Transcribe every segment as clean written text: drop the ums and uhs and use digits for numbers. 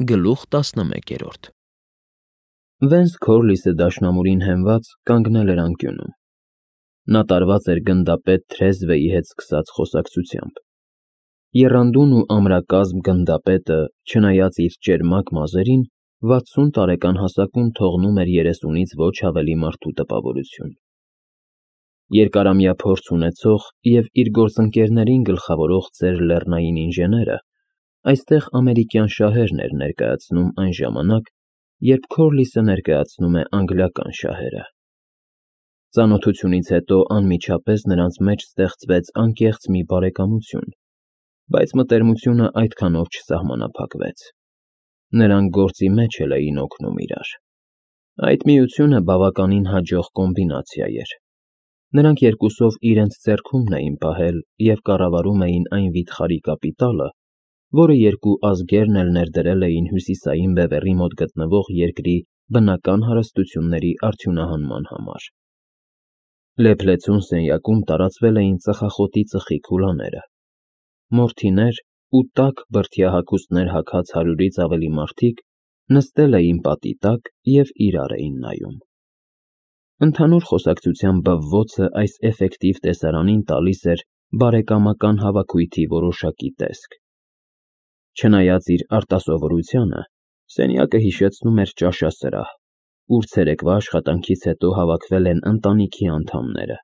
Գլուխ 11 Վենս Քորլիսը դաշնամուրին հենված կանգնել էր անկյունում։ Նա տարված էր գնդապետ Թրեզվեի հետ սկսած խոսակցությամբ։ Եռանդուն ու ամրակազմ գնդապետը, չնայած իր ճերմակ մազերին, 60 տարեկան հասակում թողնում էր 30-ից ոչ ավելի մարդու տպավորություն։ Երկարամյա փորձ ունեցող և իր գործընկերներին գլխավորող ծեր լեռնային ինժեները այստեղ ամերիկյան շահերն էր ներկայացնում այն ժամանակ, երբ Քորլիսը ներկայացնում է անգլիական շահերը։ Ծանոթությունից հետո անմիջապես նրանց մեջ ստեղծվեց անկեղծ մի բարեկամություն, բայց մտերմությունը այդքանով չսահմանափակվեց։ Նրանք գործի մեջ էլ էին օգնում իրար։ Այդ միությունը բավականին հաջող կոմբինացիա էր։ Նրանք երկուսով իրենց ձեռքումն էին պահել և կառավարում էին այն վիթխարի կապիտալը, որը երկու ազգերն էլ ներդրել էին Հյուսիսային Բևեռի մոտ գտնվող երկրի բնական հարստությունների արդյունահանման համար։ Լեփլեցուն սենյակում տարածվել էին ծխախոտի ծխի քուլաները։ Մորթիներ ու տաք բրդյա-հագուստներ հագած 100-ից ավելի մարդիկ նստել էին պատի տակ և իրար էին նայում։ Ընդհանուր խոսակցության բվոցը այս էֆեկտիվ տեսարանին տալիս էր բարեկամական հավաքույթի որոշակի տեսք։ Չնայած իր արտասովորությանը, սենյակը հիշեցնում էր ճաշասրահ, ուր ցերեկվա աշխատանքից հետո հավաքվել են ընտանիքի անդամները։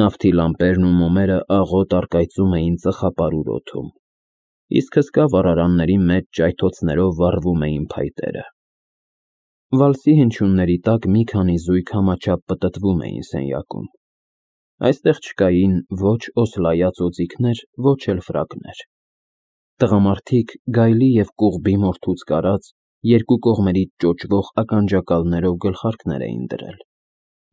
Նավթի լամպերն ու մոմերը աղոտ առկայծում էին ծխապարուր օդում, իսկ հսկա վառարանների մեջ ճայթոցներով վառվում էին փայտերը։ Վալսի հնչյունների տակ մի քանի զույգ համաչափ պտտվում էին սենյակում։ Այստեղ չկային ոչ օսլայած օձիքներ, ոչ էլ ֆրակներ։ Տղամարդիկ գայլի և կուղբի մորթուց կարած, երկու կողմերից ճոճվող ականջակալներով գլխարկներ էին դրել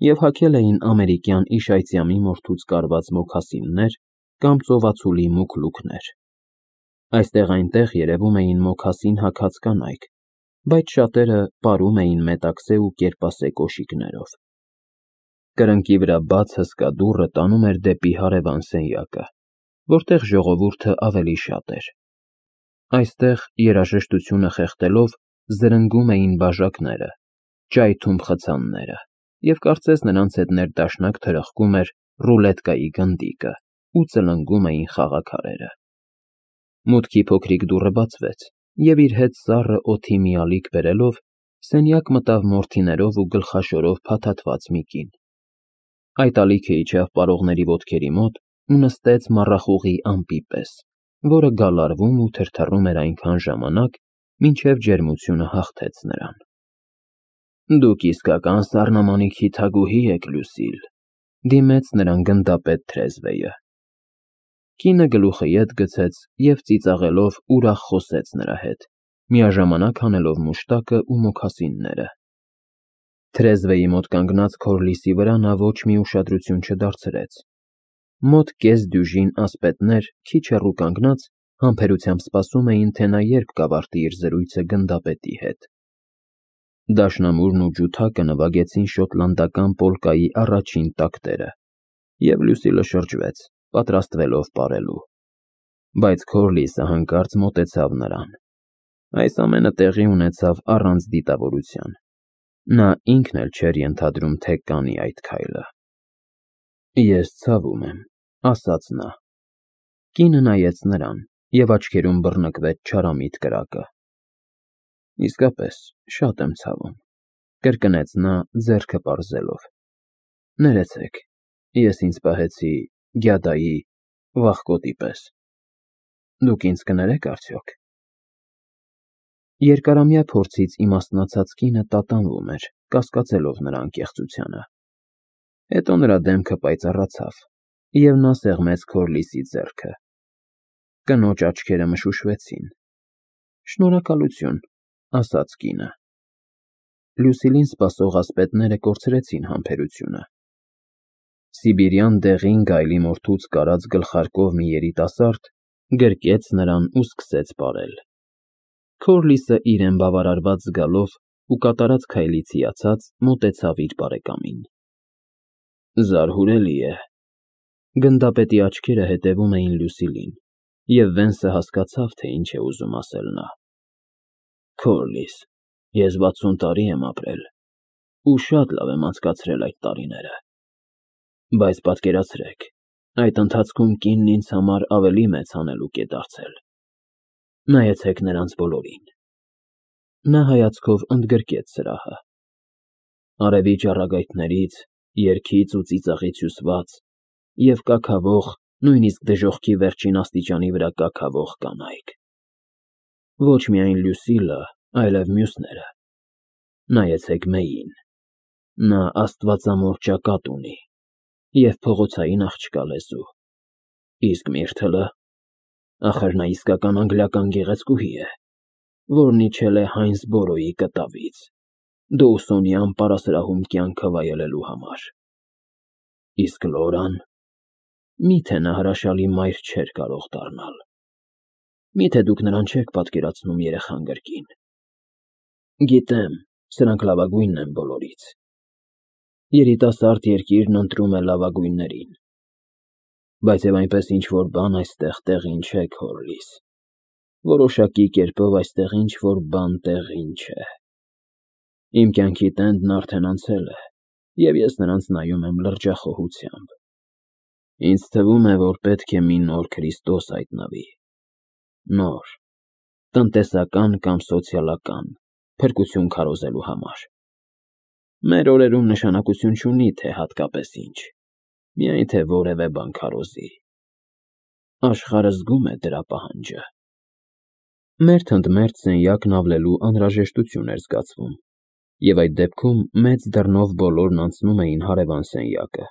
և հագել էին ամերիկյան իշայծյամի մորթուց կարված մոքասիններ կամ ծովածուլի մուգ լուքներ։ Այստեղ-այնտեղ երևում էին մոքասին հագած կանայք, բայց շատերը պարում էին մետաքսե ու կերպասե կոշիկներով։ Կրկնակի վրա բաց հսկա դուռը տանում էր դեպի հարևան սենյակը, որտեղ ժողովուրդը ավելի շատ էր։ Այստեղ, երաժշտությունը խեղդելով, զրնգում էին բաժակները, ճայթում խցանները, և կարծես նրանց հետ ներդաշնակ թրխկում էր ռուլետկայի գնդիկը ու ծլնգում էին խաղաքարերը։ Մուտքի փոքրիկ դուռը բացվեց, և իր հետ սառը օդի մի ալիք բերելով, սենյակ մտավ մորթիներով ու գլխաշորով փաթաթված մի կին։ Այդ ալիքը իջավ պարողների ոտքերի մոտ ու նստեց մառախուղի ամպի պես, որը գալարվում ու թրթռում էր այնքան ժամանակ, մինչև ջերմությունը հաղթեց նրան։ Դուք իսկական սառնամանիքի թագուհի եք, Լյուսիլ, դիմեց նրան գնդապետ Թրեզվեյը։ Կինը գլուխը ետ գցեց և ծիծաղելով ուրախ խոսեց նրա հետ, միաժամանակ հանելով մուշտակը ու մոքասինները։ Թրեզվեի մոտ կանգնած Քորլիսի վրա նա ոչ մի ուշադրություն չդարձրեց։ Մոտ կես դյուժին ասպետներ, քիչ հեռու կանգնած, համբերությամբ սպասում էին, թե նա երբ կավարտի իր զրույցը գնդապետի հետ։ Դաշնամուրն ու ջութակը նվագեցին շոտլանդական պոլկայի առաջին տակտերը, և Լյուսիլը շրջվեց, պատրաստվելով պարելու։ Բայց Քորլիսը հանկարծ մոտեցավ նրան։ Այս ամենը տեղի ունեցավ առանց դիտավորության։ Նա ինքն էլ չէր ենթադրում, թե կանի այդ քայլը։ Ես ցավում եմ, ասաց նա։ Կինը նայեց նրան, և աչքերում բռնկվեց չարամիտ կրակը։ Իսկապես, շատ եմ ցավում, կրկնեց նա, ձեռքը պարզելով։ Ներեցեք, ես ինձ պահեցի գյադայի վախկոտի պես։ Դուք ինձ կներե՞ք արդյոք։ Երկարամյա փորձից իմաստնացած կինը տատանվում էր, կասկածելով նրա անկեղծությանը։ Հետո նրա դեմքը պայծառացավ, և նա սեղմեց Քորլիսի ձեռքը։ Կնոջ աչքերը մշուշվեցին։ Շնորհակալություն, ասաց կինը։ Լյուսիլին սպասող ասպետները կորցրեցին համբերությունը։ Սիբիրյան դեղին գայլի մորթուց կարած գլխարկով մի երիտասարդ գրկեց նրան ու սկսեց պարել։ Քորլիսը իրեն բավարարված զգալով ու կատարած քայլից հիացած մոտեցավ իր բարեկամին։ Զարհուրելի է։ Գնդապետի աչքերը հետևում էին Լյուսիլին, և Վենսը հասկացավ, թե ինչ է ուզում ասել նա։ Քորլիս, ես 60 տարի եմ ապրել ու շատ լավ եմ անցկացրել այդ տարիները, բայց պատկերացրեք, այդ ընթացքում կինն ինձ համար ավելի մեծ հանելուկ է դարձել։ Նայեցեք նրանց բոլորին։ Նա հայացքով ընդգրկեց սրահը։ Արևի ճառագայթներից, երգից ու ծիծաղից հյուսված և կաքավող, նույնիսկ դժոխքի վերջին աստիճանի վրա կաքավող կանայք։ Ոչ միայն Լյուսիլը, այլև մյուսները։ Նայեցեք Մեյին։ Նա աստվածամոր ճակատ ունի և փողոցային աղջկա լեզու։ Իսկ Միրթլը, ախր նա իսկական անգլիական գեղեցկուհի է, որն իջել է Հայնսբորոյի կտավից, Դոուսոնի ամպարասրահում կյանքը վայելելու համար։ Իսկ Լորան, միթե նա հրաշալի մայր չէր կարող դառնալ։ Միթե դուք նրան չեք պատկերացնում երեխան կրկին։ Գիտեմ, սրանք լավագույնն են բոլորից։ Երիտասարդ երկիրն ընտրում է լավագույններին։ Բայց և այնպես ինչ-որ բան այստեղ տեղին չէ, Քորլիս։ Որոշակի կերպով այստեղ ինչ-որ բան տեղին չէ։ Իմ կյանքի տենդն արդեն անցել է, և ես նրանց նայում եմ լրջախոհությամբ։ Ինձ թվում է, որ պետք է մի նոր Քրիստոս հայտնվի։ Նոր, տնտեսական կամ սոցիալական, փրկություն քարոզելու համար։ Մեր օրերում նշանակություն չունի, թե հատկապես ինչ, միայն թե որևէ բան քարոզի։ Աշխարհը զգում է դրա պահանջը։ Մերթ ընդ մերթ սենյակն ավլելու անհրաժեշտություն էր զգացվում, և այդ դեպքում մեծ դռնով բոլորն անցնում էին հարևան սենյակը,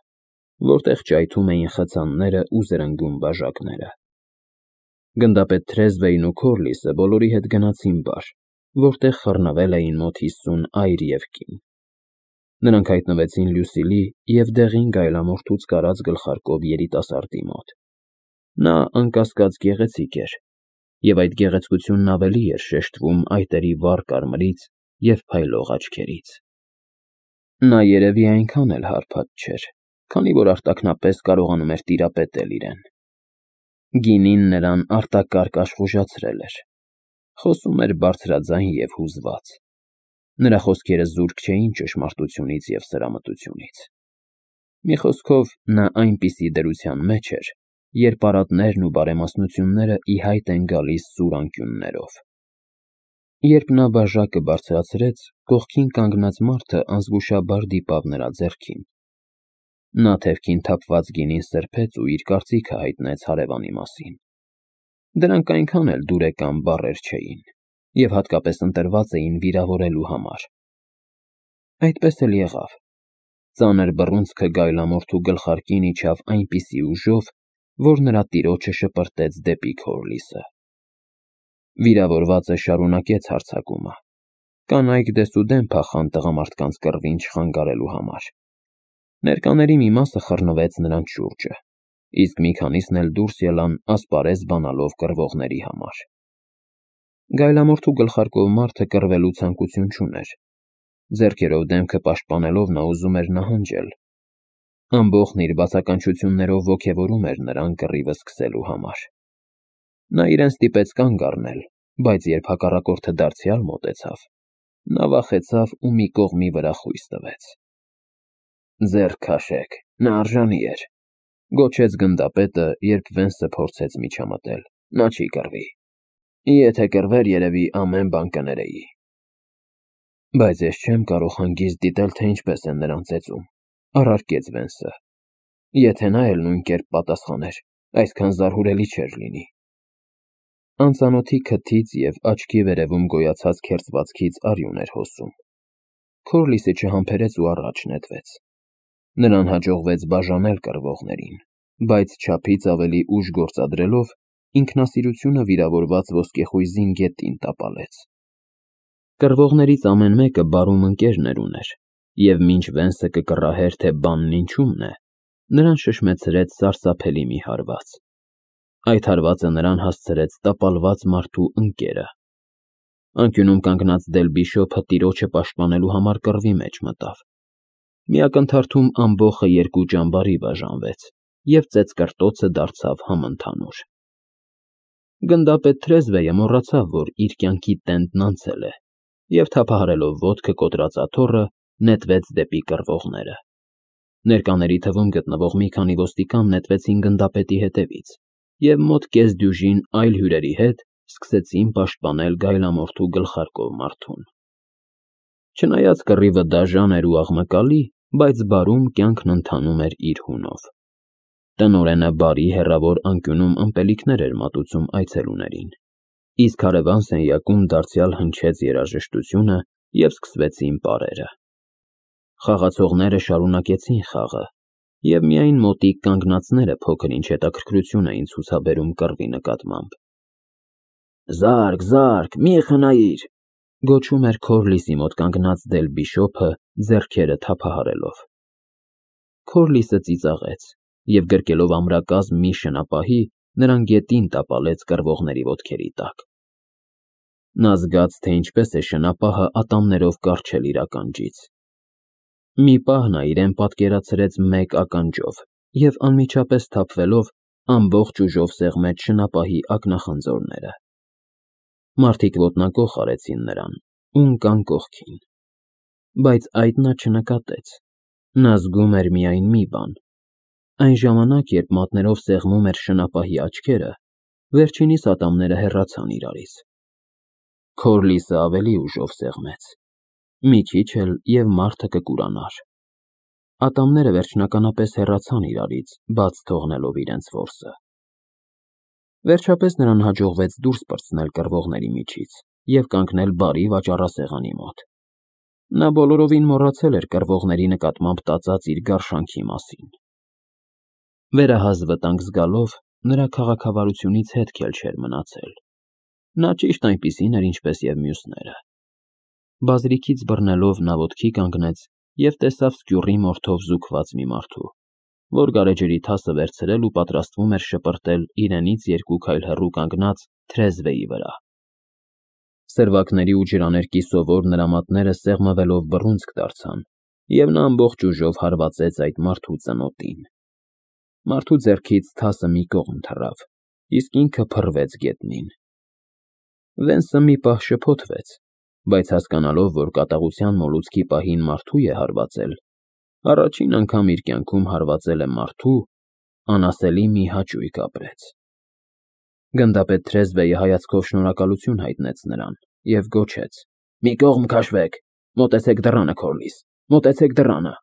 որտեղ ճայթում էին խցանները ու զրնգում բաժակները։ Գնդապետ Թրեզվեյն ու Քորլիսը բոլորի հետ գնացին բար, որտեղ խռնվել էին մոտ 50 այր և կին։ Նրանք հայտնվեցին Լյուսիլի և դեղին գայլամորթուց կարած գլխարկով երիտասարդի մոտ։ Նա անկասկած գեղեցիկ էր, և այդ գեղեցկությունն ավելի էր շեշտվում այտերի վառ կարմրից և փայլող աչքերից։ Նա երևի այնքան էլ հարբած չէր, քանի որ արտաքնապես կարողանում էր տիրապետել իրեն։ Գինին նրան արտակարգ աշխուժացրել էր։ Խոսում էր բարձրաձայն և հուզված։ Նրա խոսքերը զուրկ չէին ճշմարտությունից և սրամտությունից։ Մի խոսքով, նա այնպիսի դրության մեջ էր, երբ արատներն ու բարեմասնությունները ի հայտ են գալիս սուր անկյուններով։ Երբ նա բաժակը բարձրացրեց, կողքին կանգնած մարդը անզգուշաբար դիպավ նրա ձեռքին։ Նա թևքին թափված գինին սրբեց ու իր կարծիքը հայտնեց հարևանի մասին։ Դրանք այնքան էլ դուրեկան բառեր չէին և հատկապես ընտրված էին վիրավորելու համար։ Այդպես էլ եղավ։ Ծանր բռունցքը գայլամորթու գլխարկին իջավ այնպիսի ուժով, որ նրա տիրոջը շպրտեց դեպի Քորլիսը։ Վիրավորվածը շարունակեց հարձակումը։ Կանայք դեսուդեն փախան տղամարդկանց կռվին չխանգարելու համար։ Ներկաների մի մասը խռնվեց նրանց շուրջը, իսկ մի քանիսն էլ դուրս ելան ասպարեզ բանալով կռվողների համար։ Գայլամորթու գլխարկով մարդը կռվելու ցանկություն չուներ։ Ձեռքերով դեմքը պաշտպանելով նա ուզում էր նահանջել։ Ամբոխն իր բացականչություններով ոգևորում էր նրան կռիվը սկսելու համար։ Նա իրեն ստիպեց կանգ առնել, բայց երբ հակառակորդը դարձյալ մոտեցավ, նա վախեցավ ու մի կողմի վրա խույս տվեց։ «Ձեռք քաշեք, նա արժանի էր», գոչեց գնդապետը, երբ Վենսը փորձեց միջամտել։ «Նա չի կռվի։ Եթե կռվեր, երևի ամեն բան կներեի»։ Բայց ես չեմ կարող հանգիստ դիտել, թե ինչպես են նրան ծեծում, առարկեց Վենսը։ Եթե նա էլ նույն կերպ պատասխաներ, այսքան զարհուրելի չէր լինի։ Անծանոթի քթից և աչքի վերևում գոյացած քերծվածքից արյուն էր հոսում։ Քորլիսը չհամբերեց ու առաջ նետվեց։ Նրան հաջողվեց բաժանել կռվողներին, բայց չափից ավելի ուժ գործադրելով ինքնասիրությունը վիրավորված ոսկեխույզին գետին տապալեց։ Կռվողներից ամեն մեկը բարում ընկերներ ուներ, և մինչ Վենսը կկռահեր, թե բանն ինչումն է, նրան շշմեցրեց սարսափելի մի հարված։ Այդ հարվածը նրան հասցրեց տապալված մարդու ընկերը։ Անկյունում կանգնած Դելբիշոփը տիրոջը պաշտպանելու համար կռվի մեջ մտավ։ Մի ակնթարթում ամբոխը երկու ճամբարի բաժանվեց, և ծեծկռտոցը դարձավ համընդհանուր։ Գնդապետ Թրեզվեյը մոռացավ, որ իր կյանքի տենդն անցել է, և թափահարելով ոտքը կոտրած աթոռը, նետվեց դեպի կռվողները։ Ներկաների թվում գտնվող մի քանի ոստիկան նետվեցին գնդապետի հետևից և մոտ կես դյուժին այլ հյուրերի հետ սկսեցին պաշտպանել գայլամորթու գլխարկով մարդուն։ Չնայած կռիվը դաժան էր ու աղմկալի, բայց բարում կյանքն ընթանում էր իր հունով։ Տնօրենը բարի հեռավոր անկյունում ըմպելիքներ էր մատուցում այցելուներին, իսկ հարևան սենյակում դարձյալ հնչեց երաժշտությունը և սկսվեցին պարերը։ Խաղացողները շարունակեցին խաղը, և միայն մոտիկ կանգնածները փոքր-ինչ հետաքրքրություն էին ցուցաբերում կռվի նկատմամբ։ «Զարկ, զարկ, մի խնայիր», գոչում էր Քորլիսի մոտ կանգնած Դել Բիշոպը, ձեռքերը թափահարելով։ Քորլիսը ծիծաղեց և գրկելով ամրակազմ մի շնապահի, նրան գետին տապալեց կռվողների ոտքերի տակ։ Նա զգաց, թե ինչպես է շնապահը ատամներով կառչել իր ականջից։ Մի պահ նա իրեն պատկերացրեց մեկ ականջով և անմիջապես թափվելով ամբողջ ուժով սեղմեց շնապահի ակնախնձորները։ Մարդիկ ոտնակոխ արեցին նրան ու ընկան կողքին։ Բայց այդ նա չնկատեց։ Նա զգում էր միայն մի բան. այն ժամանակ, երբ մատներով սեղմում էր շնապահի աչքերը, վերջինիս ատամները հեռացան իրարից։ Քորլիսը ավելի ուժով սեղմեց։ Մի քիչ էլ և մարդը կկուրանար։ Ատամները վերջնականապես հեռացան իրարից, բաց թողնելով իրենց որսը։ Վերջապես նրան հաջողվեց դուրս պրծնել կռվողների միջից և կանգնել բարի վաճառասեղանի մոտ։ Նա բոլորովին մոռացել էր կռվողների նկատմամբ տածած իր գարշանքի մասին։ Վերահաս վտանգ զգալով, նրա քաղաքավարությունից հետք էլ չէր մնացել։ Նա ճիշտ այնպիսին էր, ինչպես և մյուսները։ Բազրիքից բռնելով նա ոտքի կանգնեց և տեսավ սկյուռի մորթով զուգված մի մարդու, որ գարեջրի թասը վերցրել ու պատրաստվում էր շպրտել իրենից 2 քայլ հեռու կանգնած թրեզվեի վրա։ Սերվակների ու ջրաներկի սովոր նրա մատները սեղմվելով բռունցք դարձան, և նա ամբողջ ուժով հարվածեց այդ մարդու ծնոտին։ Մարդու ձեռքից թասը մի կողմ թռավ, իսկ ինքը փռվեց գետնին։ Վենսը մի պահ շփոթվեց, բայց հասկանալով, որ կատաղության մոլուցքի պահին մարդու է հարվածել, առաջին անգամ իր կյանքում հարվածել է մարդու, անասելի մի հաճույք ապրեց։ Գնդապետ թրեզվեյը հայացքով շնորհակալություն հայտնեց նրան և գոչեց. «Մի կողմ քաշվեք, մոտեցեք դռանը, Քորլիս, մոտեցեք դռանը»։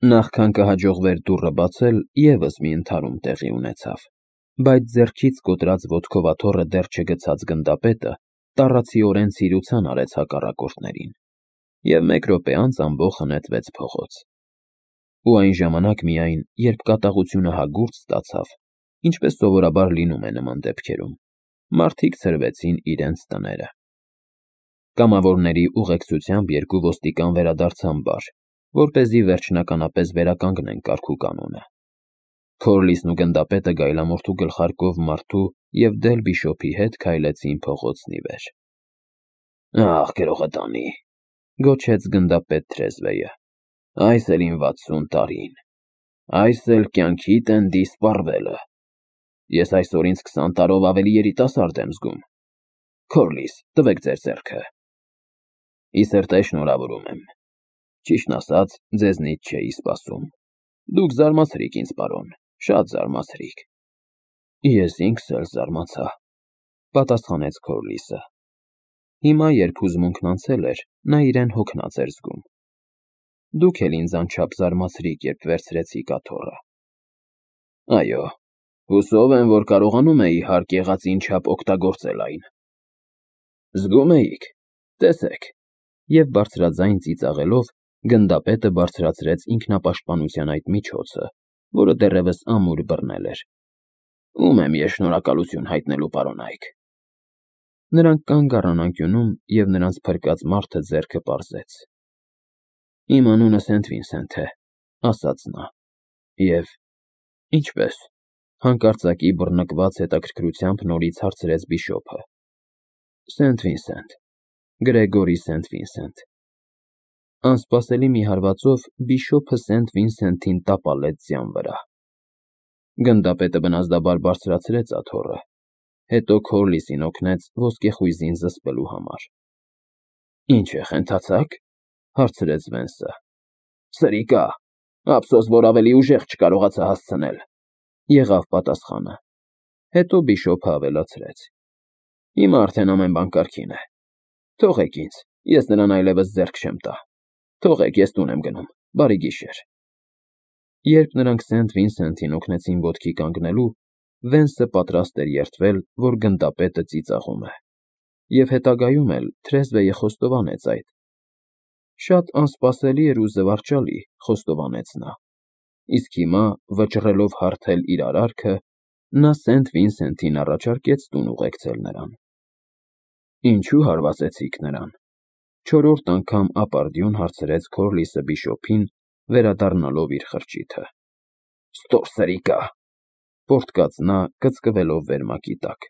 Նախքան կհաջողվեր դուռը բացել, ևս մի ընդհարում տեղի ունեցավ, բայց ձեռքից կոտրած ոտքով աթոռը դեռ չգցած գնդապետը տառացիորեն ցիրուցան արեց հակառակորդներին, և 1 րոպե անց ամբոխը նետվեց փողոց։ Ու այն ժամանակ միայն, երբ կատաղությունը հագուրդ ստացավ, ինչպես սովորաբար լինում է նման դեպքերում, մարդիկ ցրվեցին իրենց տները։ Կամավորների ուղեկցությամբ 2 ոստիկան վերադարձան բար, որպեսզի վերջնականապես վերականգնեն կարգուկանոնը։ Քորլիսն ու գնդապետը գայլամորթու գլխարկով մարդու և Դել Բիշոպի հետ քայլեցին փողոցն ի վեր։ «Ախ, գրողը տանի», գոչեց գնդապետ թրեզվեյը, «այս էլ իմ 60 տարին, այս էլ կյանքիդ էնդի սպառվելը։ Ես այսօր ինձ 20 տարով ավելի երիտասարդ եմ զգում։ Քորլիս, տվեք ձեր ձեռքը»։ «Ի սրտե շնորհավորում եմ։ Ճիշտն ասած, ձեզնից չէի սպասում։ Դուք զարմացրիք ինձ, պարոն, շատ զարմացրիք»։ Ես ինքս էլ զարմացա, պատասխանեց Քորլիսը։ Հիմա, երբ հուզմունքն անցել էր, նա իրեն հոգնած էր զգում։ Դուք էլ ինձ անչափ զարմացրիք, երբ վերցրեցիք աթոռը։ Այո, հուսով եմ, որ կարողանում էի հարկ եղածին չափ օգտագործել այն։ Զգում էիք, տեսեք։ Եվ բարձրաձայն ծիծաղելով, գնդապետը բարձրացրեց ինքնապաշտպանության այդ միջոցը, որը դեռևս ամուր բռնել էր։ Ում եմ ես շնորհակալություն հայտնելու, պարոն Այք։ Նրանք կանգ առան անկյունում, և նրանց փրկած մարդը ձեռքը պարզեց։ Իմ անունը Սենթ Վինսենթ է, ասաց նա։ Եվ ինչպե՞ս, հանկարծակի բռնկված հետաքրքրությամբ նորից հարցրեց Բիշոպը։ Սենթ Վինսենթ, Գրեգորի Սենթ Վինսենթ։ Անսպասելի մի հարվածով Բիշոպը Սենթ Վինսենթին տապալեց ձյան վրա։ Գնդապետը բնազդաբար բարձրացրեց աթոռը, հետո Քորլիսին օգնեց ոսկեխույզին զսպելու համար։ Ինչ է, խենթացա՞ք, հարցրեց Վենսը։ Սրիկա, ափսոս, որ ավելի ուժեղ չկարողացա հասցնել, եղավ պատասխանը։ Հետո բիշոպը ավելացրեց. Հիմա արդեն ամեն բան կարգին է։ Թողեք ինձ, ես նրան այլևս ձեռք չեմ տա։ Թողեք, ես տուն եմ գնում, բարի գիշեր։ Երբ նրանք Սենթ Վինսենթին օգնեցին ոտքի կանգնելու, Վենսը պատրաստ էր երդվել, որ գնդապետը ծիծաղում է, և հետագայում էլ թրեզվեյը խոստովանեց այդ։ Շատ անսպասելի էր ու զվարճալի, խոստովանեց նա, իսկ հիմա, վճռելով հարթել իր արարքը, նա Սենթ Վինսենթին առաջարկեց տուն ուղեկցել նրան։ Ինչու հարվածեցիք նրան, չորրորդ անգամ ապարդյուն հարցրեց Քորլիսը բիշոպին, վերադառնալով իր խրճիթը։ Ստոր սրիկա, պոռթկաց նա, կծկվելով վերմակի տակ։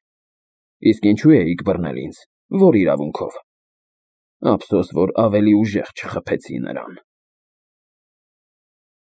Իսկ ինչու էիք բռնել ինձ, որ իրավունքով։ Ափսոս, որ ավելի ուժեղ չխփեցի նրան։